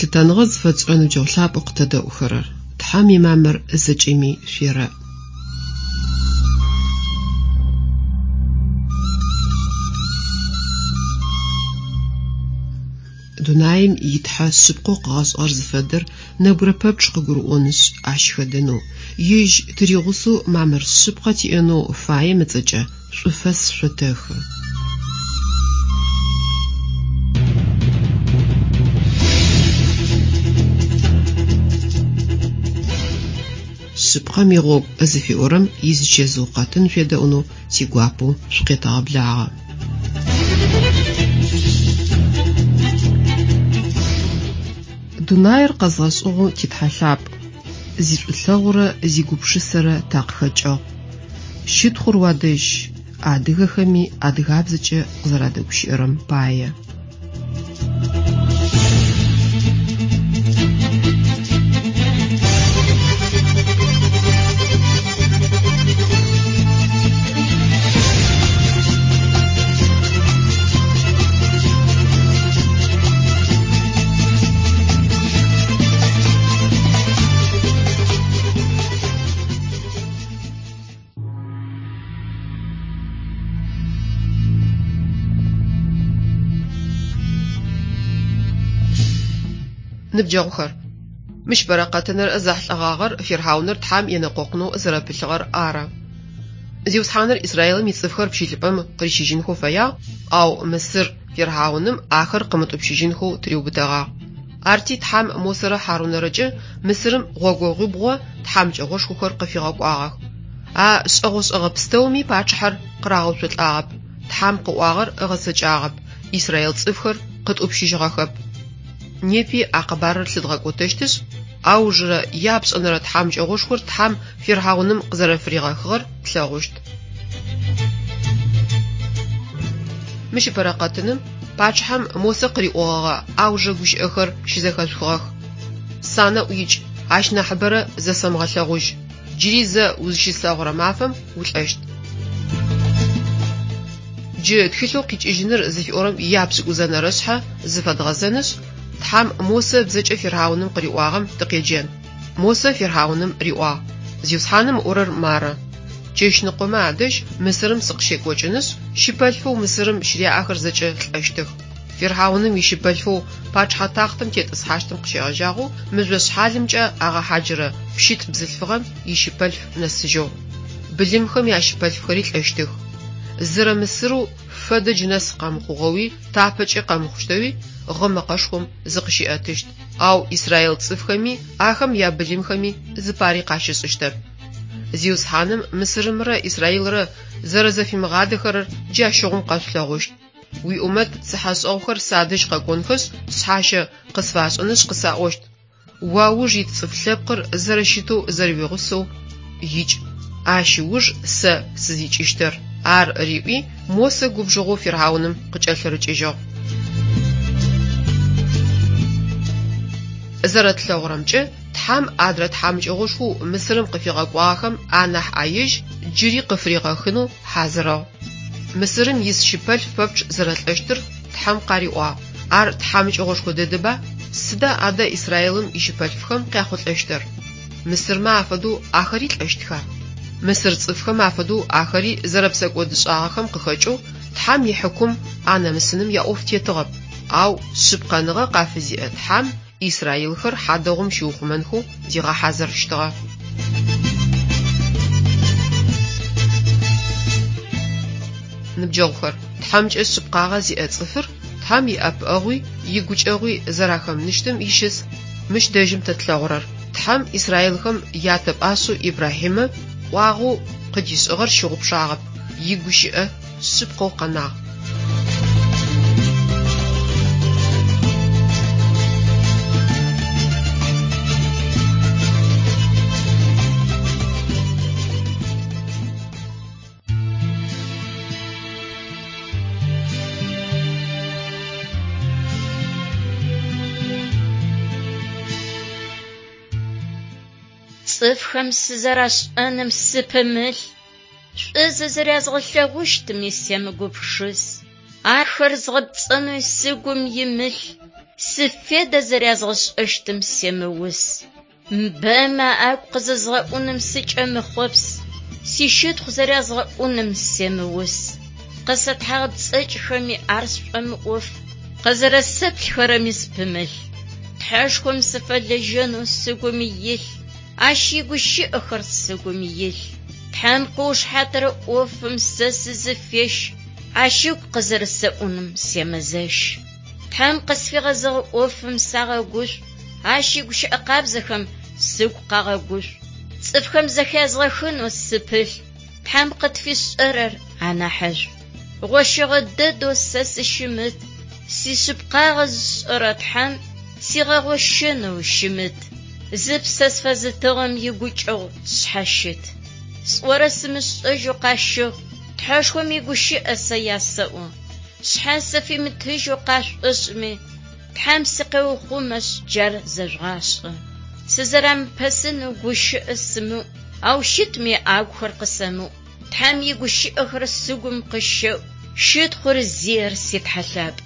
Лъытэныгъэ зыфэтшӏырэ ныбджэгъу лъапӏэу къытэдэӏухэрэр! Тхьэм имамыр зэкӏэми шъуерэӏ. Дунаим и Тхьэ шъыпкъэу къыгъэшӏыгъэр зыфэдэр нэбгырэ пэпчъ къыгурыӏонышъ, ащ хэдэнэу, Ежь тыригъусэу мамыр шъыпкъэ тиӏэнэу фаем ыцӏэкӏэ шӏуфэс шъотэхы. Шъыпкъэм игъогу зыфиӏорэм изычэзыу къэтын шъуедэӏунэу тигуапэу шъукъетэгъэблагъэ. Дунаир къэзгъэшӏыгъэу ти Тхьэ лъапӏ, зишӏулъэгъурэ зигупшысэрэ такъыхэкӏыгъ. Щытхъур уадэжь, адыгэхэми адыгабзэкӏэ къызэрадэгущыӏэрэм пае. Ныбджэгъухэр, мыщ бэрэкъэтыныр зэхьылӏэгъагъэр фирхьауныр Тхьэм енэкъокъунэу зэрэпылъыгъэр ары. Зиусхьаныр Израилым ицӏыфхэр пщылӏыпӏэм къырищыжьынхэу фэягъ, ау Мысыр фирхьауным ахэр къымытӏупщыжьынхэу тыриубытэгъагъ. Арти Тхьэм Мосэрэ Хьарунэрэкӏэ Мысырым гъогогъуибгъо тхьамыкӏэгъошхохэр къыфигъэкӏуагъэх. А шӏэгъошӏэгъэ пстэуми пачъыхьэр къырагъэуцолӏагъэп, Тхьэм къыӏуагъэр ыгъэцэкӏагъэп, израил цӏыфхэр къытӏупщыжьыгъэхэп. Непи а къэбарыр лъыдгъэкӏотэщтышъ, аужырэ япшӏэнэрэ тхьамыкӏэгъошхор Тхьэм фирхьауным къызэрэфыригъэхыгъэр тлъэгъущт. Мыщ ыпэрэ къэтыным пачъыхьэм Мосэ къыриӏогъэгъэ аужырэ гущыӏэхэр щызэхэшъухыгъэх. Санэӏу икӏ, ащ нахьыбэрэ зэсэмыгъэлъэгъужь. Джыри зэ узыщыслъэгъурэ мафэм улӏэщт. Джы тхылъэу Къикӏыжьыныр зыфиӏорэм ияпшӏыкӏузэнэрэ шъхьэ зыфэдгъэзэнышъ, Тхьэм Мосэ ыбзэкӏэ фирхьауным къыриӏуагъэм тыкъеджэн. Мосэ фирхьауным риӏуагъ, Зиусхьаным ыӏорэр мары, Чэщныкъомэ адэжь Мысырым сыкъыщекӏокӏынышъ, щыпэлъфэу Мысырым щыряӏэхэр зэкӏэ лӏэщтых. Фирхьауным ищыпэлъфэу пачъыхьэ тахътэм тетӏысхьащтым къыщегъэжьагъэу мыжъо шъхьалымкӏэ агъэхьаджырэ пщылӏ бзылъфыгъэм ищыпэлъф нэсыжьэу. Былымхэм ящыпэлъфхэри лӏэщтых. Зэрэ Мысырэу фэдэ джы нэс къэмыхъугъэуи тапэкӏи къэмыхъущтэуи гъы мэкъэшхом зыкъыщиӏэтыщт, ау израил цӏыфхэми ахэм ябылымхэми зыпари къащышӏыщтэп. Зиусхьаным Мысырымрэ Израилрэ зэрэзэфимыгъадэхэрэр джащыгъум къэшъулъэгъущт. Уиӏумэт цыхьэшӏэгъухэр садэжь къэкӏонхэшъ, шъхьащэ къысфашӏынышъ къысаӏощт, Уауж ит цӏыф лъэпкъыр зэрэщытэу зэрэуигъусэу икӏ, ащ ыуж сэ сызикӏыщтыр. Ар риӏуи, Мосэ губжыгъэу фирхьауным къыкӏэлъырыкӏыжьыгъ. Зэрэтлъэгъурэмкӏэ, Тхьэм адрэ тхьамыкӏэгъошхоу Мысырым къыфигъэкӏуагъэхэм анахь ӏаежь джыри къыфыригъэхынэу хьазырыгъ. Мысырым ис щыпэлъф пэпчъ зэрэлӏэщтыр Тхьэм къариӏуагъ. Ар тхьамыкӏэгъошхо дэдэба? Сыда адэ Израилым ищыпэлъфхэм къяхъулӏэщтыр? Мысырмэ афэдэу ахэри лӏэщтха? Мысыр цӏыфхэм афэдэу ахэри зэрэпсэкӏодышӏагъэхэм къыхэкӏэу Тхьэм ихьыкум анэмысыным яӏоф тетыгъэп. Ау шъыпкъэныгъэ къафызиӏэ Тхьэм Израилхэр хьадэгъум щиухъумэнхэу зигъэхьазырыщтыгъэ. Ныбджэгъухэр, Тхьэмкӏэ шъыпкъагъэ зиӏэ цӏыфыр Тхьэм иӏэпыӏэгъуи игукӏэгъуи зэрахэмыныщтым ищыс мыщ дэжьым тэ тлъэгъурэр. Тхьэм израилхэм ятэ пӏашъэу Ибрахьимэ ӏуагъэу къыдишӏыгъэр щыгъупшагъэп, игущыӏэ шъыпкъэу къэнагъ. Цӏыфхэм сызэрашӏэным сыпымылъ, шӏу зызэрязгъэлъэгъущтыми семыгупшыс. Ахэр згъэпцӏэнэу сыгум имылъ. Сифедэ зэрязгъэшӏэщтым семыус. Бэмэ агу къызэзгъэӏуным сыкӏэмыхъопс, сищытхъу зэрязгъэӏуным семыус. Къысэтхьагъэпцӏэкӏхэми ар сшӏомыӏоф, къызэрэсэплъхэрэми сыпымылъ. Тхьэшхом сыфэлэжьэнэу сыгум илъ, ащ игущыӏэхэр сыгум илъ. Тхьэм къыушыхьатырэ ӏофым сэ сызыфещ, ащ ыгу къызэрэсэӏуным семызэщ. Тхьэм къысфигъэзэгъэ ӏофым сагъэгушӏу, ащ игущыӏэ къабзэхэм сыгу къагъэгушӏу. Цӏыфхэм зэхязгъэхынэу сыпылъ, Тхьэм къытфишӏэрэр анахьышӏу. Гъощэгъэ дэдэу сэ сыщымыт, сишъыпкъагъэ зышӏэрэ Тхьэм сигъэгъощэнэу щымыт. Зыпсэ сфэзытыгъэм игукӏэгъу сшъхьащыт. Сӏорэ сымышӏэжьэу къащэхъу, Тхьэшхом игущыӏэ сэ ясэӏо. Шъхьэ сыфимытыжьэу къашӏошӏми, Тхьэм сыкъеухъумэшъ джар зэжъугъашӏэ. Сызэрамыпэсынэу гущыӏэ сымыӏу, ау щытми агухэр къысэмыӏу. Тхьэм игущыӏэхэр сыгум къыщэӏу, щытхъур зиер си Тхьэ лъапӏ.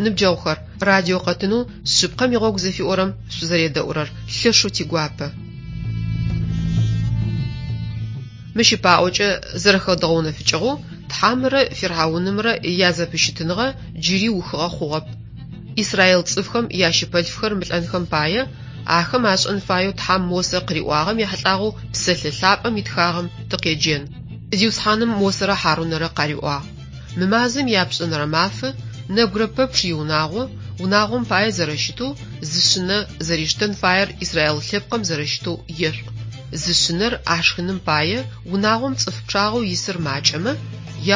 Ныбджэгъухэр, радио къэтынэу Шъыпкъэм игъогу зыфиӏорэм шъузэредэӏурэр лъэшэу тигуапэ. Мыщ ыпаӏокӏэ зэрэхэдгъэунэфыкӏыгъэу, Тхьэмрэ Фирхьаунымрэ язэпыщытыныгъэ джыри ухыгъэ хъугъэп. Израил цӏыфхэм ящыпэлъфхэр мылӏэнхэм пае, ахэм ашӏэн фаеу Тхьэм Мосэ къыриӏуагъэм ехьылӏагъэу Псэлъэ Лъапӏэм итхагъэм тыкъеджэн. Зиусхьаным Мосэрэ Хьарунэрэ къариӏуагъ: Мы мазэм ияпшӏэнэрэ мафэ нэбгырэ пэпчъ иунагъо, унагъом пае зэрэщытэу, зы шъынэ зэриштэн фаер Израил лъэпкъым зэрэщытэу ешъуӏу. Зы шъынэр ашхыным пае унагъом цӏыф пчъагъэу исыр макӏэмэ,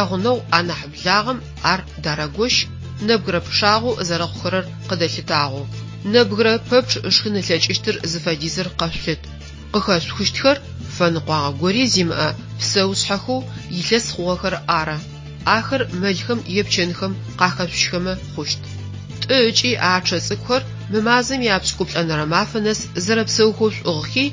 ягъунэгъу анахь благъэм ар дарэгощ, нэбгырэ пчъагъэу зэрэхъухэрэр къыдэлъытагъэу. Нэбгырэ пэпчъ ышхын ылъэкӏыщтыр зыфэдизыр къэшъулъыт. Къыхэшъухыщтхэр фэныкъуагъэ гори зимыӏэ псэушъхьэхэу илъэс хъугъэхэр ары. Ахэр мэлхэм е пчэнхэм къахэшъущхэмэ хъущт. Тӏы ыкӏи ачъэ цӏыкӏухэр мы мазэм ияпшӏыкӏуплӏэнэрэ мафэ нэс зэрэпсэухэу шъуӏыгъхи,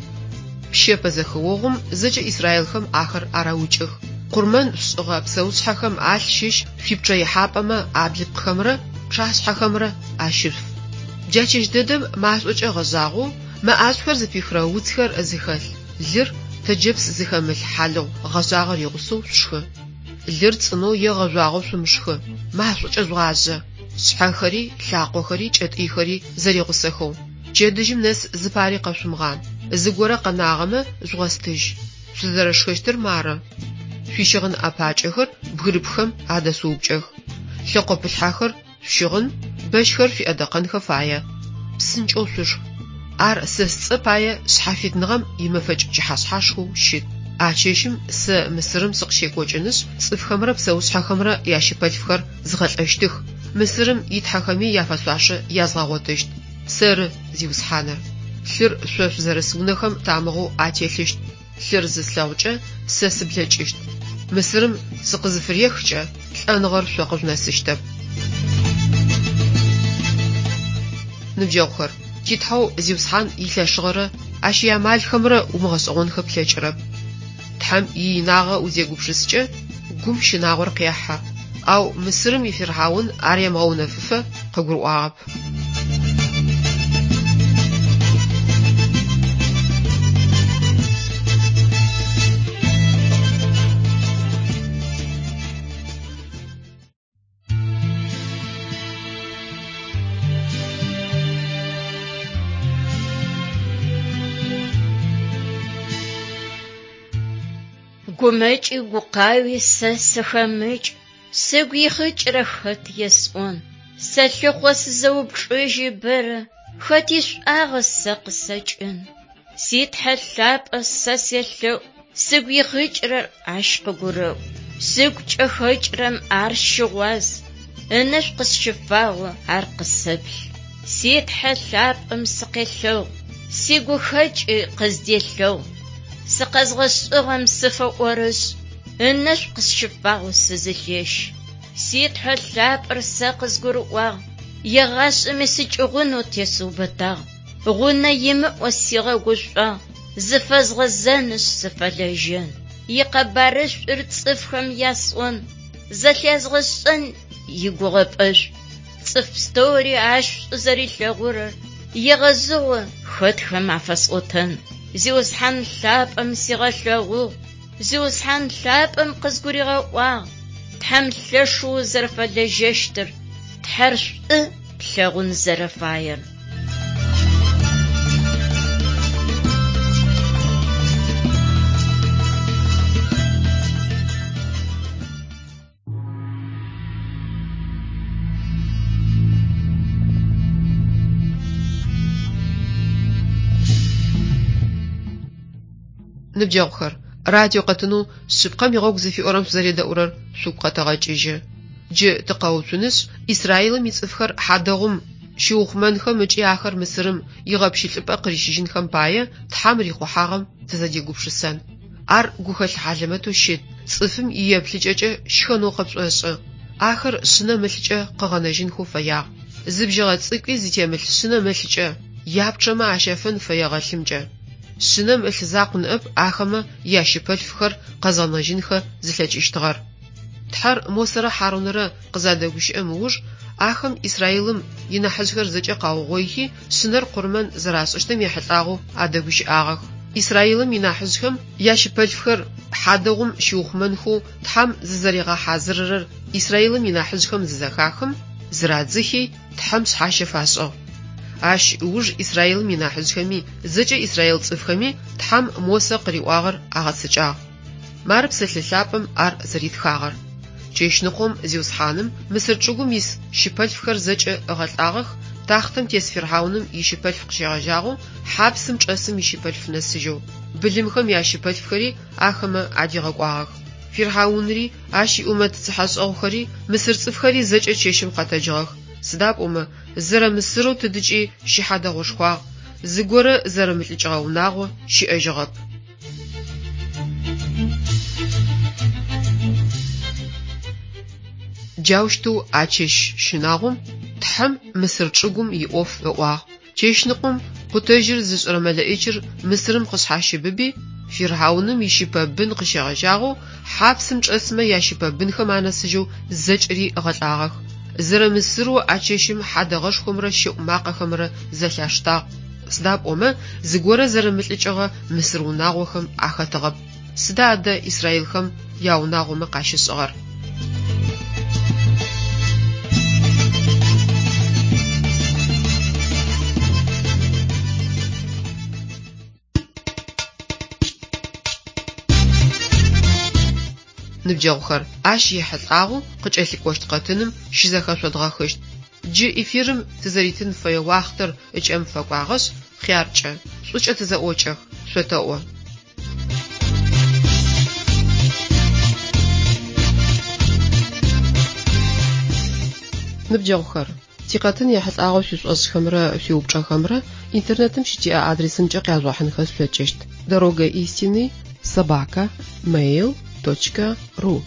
пщэпэ зэхэогъум зэкӏэ израилхэм ахэр арэукӏых. Къурмэн шъушӏыгъэ псэушъхьэхэм алъ щыщ шъуипчъэихьапӏэмэ аблыпкъхэмрэ пчъашъхьэхэмрэ ащышъуф. Джа чэщ дэдэм машӏокӏэ гъэжъагъэу, мэ ӏашӏухэр зыпихырэ уцхэр зыхэлъ лыр тэджэпс зыхэмылъ хьалыгъу гъэжъагъэр игъусэу шъушхы. Лыр цӏынэу е гъэжъуагъэу шъумышхы, машӏокӏэ жъугъажъэ, шъхьэхэри, лъакъохэри, кӏэтӏыйхэри зэригъусэхэу. Пчэдыжьым нэс зыпари къэшъумыгъан, зыгорэ къэнагъэмэ, жъугъэстыжь. Шъузэрэшхэщтыр мары. Шъуищыгъын ӏэпакӏэхэр бгырыпххэм адэшъуупкӏэх. Лъэкъопылъхьэхэр шъущыгъын, бэщхэр шъуиӏэдэкъэнхэ фае. Псынкӏэу шъушх. Ар сэ сцӏэ пае шъхьафитныгъэм имэфэкӏ пчыхьэшъхьашхэу щыт. А чэщым сэ Мысырым сыкъыщекӏокӏынышъ, цӏыфхэмрэ псэушъхьэхэмрэ ящыпэлъфхэр згъэлӏэщтых, Мысырым итхьэхэми яфэшъуашэ язгъэгъотыщт. Сэры, Зиусхьаныр. Лъыр шъо шъузэрыс унэхэм тамыгъэу ателъыщт. Лъыр зыслъэгъукӏэ, сэ сыблэкӏыщт. Мысырым сыкъызыфырехкӏэ, лӏэныгъэр шъо къыжъунэсыщтэп. Ныбджэгъухэр, ти Тхьэу Зиусхьан илъэшыгъэрэ Ащ иамалхэмрэ умыгъэшӏэгъонхэ плъэкӏырэп. Тхьэм иинагъэ узегупшыскӏэ, гум щынагъор къехьэ. Ау Мысырым ифирхьаун ар емыгъэунэфыфэ къыгурыӏуагъэп. Гумэкӏи гукъауи сэ сыхэмыкӏ, Сыгу ихъыкӏырэ хэт есӏон? Сэлъыхъо сызэупчӏыжьы бэрэ, Хэт ишӏуагъэ сэ къысэкӏын? Си Тхьэ лъапӏэ сэ селъэӏу, Сыгу ихъыкӏырэр ащ къыгурэӏу. Сыгу кӏэхэкӏырэм ар щыгъуаз, Ынэшӏу къысщыфагъэу ар къысэплъ. Си Тхьэ лъапӏэм сыкъелъэгъу, Сигухэкӏи къызделъэгъу. Сыкъэзгъэшӏыгъэм сыфэӏорышӏ, Ынэшӏу къысщыфагъэу сызылъещ. Си Тхьэ лъапӏэр сэ къызгурыӏуагъ, егъашӏэми сыкӏыгъунэу тесыубытагъ. Гъунэ имыӏэу сигъэгушӏуагъ, зыфэзгъэзэнышъ сыфэлэжьэн. Икъэбарышӏур цӏыфхэм ясӏон, зэлъязгъэшӏэн игугъэпӏэшӏу. Цӏыф пстэури ащ шӏу зэрилъэгъурэр егъэзыгъо хэтхэм афэсӏотэн. Зиусхьан лъапӏэм сигъэлъэгъугъ, Зиусхьан лъапӏэм къызгуригъэӏуагъ, Тхьэм лъэшэу узэрэфэлэжьэщтыр, Тхьэр шӏу плъэгъун зэрэфаер. Ныбджэгъухэр, радио къэтынэу Шъыпкъэм игъогу зыфиӏорэм шъузэредэӏурэр шъугу къэтэгъэкӏыжьы. Джы тыкъэуцунышъ, Израилым ицӏыфхэр хьадэгъум щиухъумэнхэм ыкӏи ахэр Мысырым игъэпщылӏыпӏэ къырищыжьынхэм пае Тхьэм рихъухьагъэм тызэдегупшысэн. Ар гухэлъ хьалэмэтэу щыт, цӏыфым иеплъыкӏэкӏэ щхэнэу къыпшӏошӏы. Ахэр шъынэм ылъыкӏэ къыгъэнэжьынхэу фэягъ. Зы бжьыгъэ цӏыкӏуи зытемылъ шъынэм ылъыкӏэ, япчъэмэ ащафэн фэегъэ лъымкӏэ. Шъынэм ылъ закъу ныӏэп ахэмэ ящыпэлъфхэр къэзгъэнэжьынхэ зылъэкӏыщтыгъэр. Тхьэр Мосэрэ Хьарунэрэ къызадэгущыӏэм ыуж, ахэм Израилым инахьыжъхэр зэкӏэ къаугъоихи, шъынэр къурмэн зэрашӏыщтым ехьылӏагъэу адэгущыӏагъэх. Израилым инахьыжъхэм ящыпэлъфхэр хьадэгъум щиухъумэнхэу Тхьэм зызэригъэхьазырырэр Израилым инахьыжъхэм зызэхахым, зырадзыхи, Тхьэм шъхьащэ фашӏыгъ. Ащ ыуж Израилым инахьыжъхэми, зэкӏэ израил цӏыфхэми Тхьэм Мосэ къыриӏуагъэр агъэцэкӏагъ. Мары псэлъэ лъапӏэм ар зэритхагъэр. Чэщныкъом Зиусхьаным Мысыр чӏыгум ис щыпэлъфхэр зэкӏэ ыгъэлӏагъэх, тахътэм тес фирхьауным ищыпэлъф къыщегъэжьагъэу хьапсым чӏэсым ищыпэлъф нэсыжьэу. Былымхэм ящыпэлъфхэри ахэмэ адигъэкӏуагъэх. Фирхьаунри, ащ иӏумэт цыхьэшӏэгъухэри, мысыр цӏыфхэри зэкӏэ чэщым къэтэджыгъэх, сыда пӏомэ зэрэ Мысырэу тыдыкӏи щыхьадэгъушхуагъ, зыгорэ зэрымылӏыкӏыгъэ унагъо щыӏэжьыгъэп. Джаущтэу а чэщ щынагъом Тхьэм Мысыр чӏыгум иӏоф ыӏуагъ. Чэщныкъом къутэжьыр зышӏырэ мэлэӏичыр Мысырым къышъхьащыбыби, фирхьауным ищыпэ бын къыщегъэжьагъэу хьапсым чӏэсмэ ящыпэ бынхэм анэсыжьэу зэкӏэри ыгъэлӏагъэх. Зэрэ Мысырэу а чэщым хьадэгъэшхомрэ щэӏу макъэхэмрэ зэлъаштагъ. Сыда пӏомэ зыгорэ зэрымылӏыкӏыгъэ мысыр унагъохэм ахэтыгъэп. Сыда адэ израилхэм яунагъомэ къащышӏыгъэр? Ныбджэгъухэр, ащ ехьылӏагъэу къыкӏэлъыкӏощт къэтыным щызэхэшъодгъэхыщт. Джы эфирым тызэритын фэе уахътэр ыкӏэм фэкӏуагъэшъ, хъяркӏэ, шӏукӏэ тызэӏокӏэх, шъотэӏо. Ныбджэгъухэр, тикъэтын ехьылӏагъэу шъуишӏошӏхэмрэ шъуиупчӏэхэмрэ интернетым щытиӏэ адресымкӏэ къяжъугъэхьынхэ шъулъэкӏыщт: Дорога истины собака mail точка ру.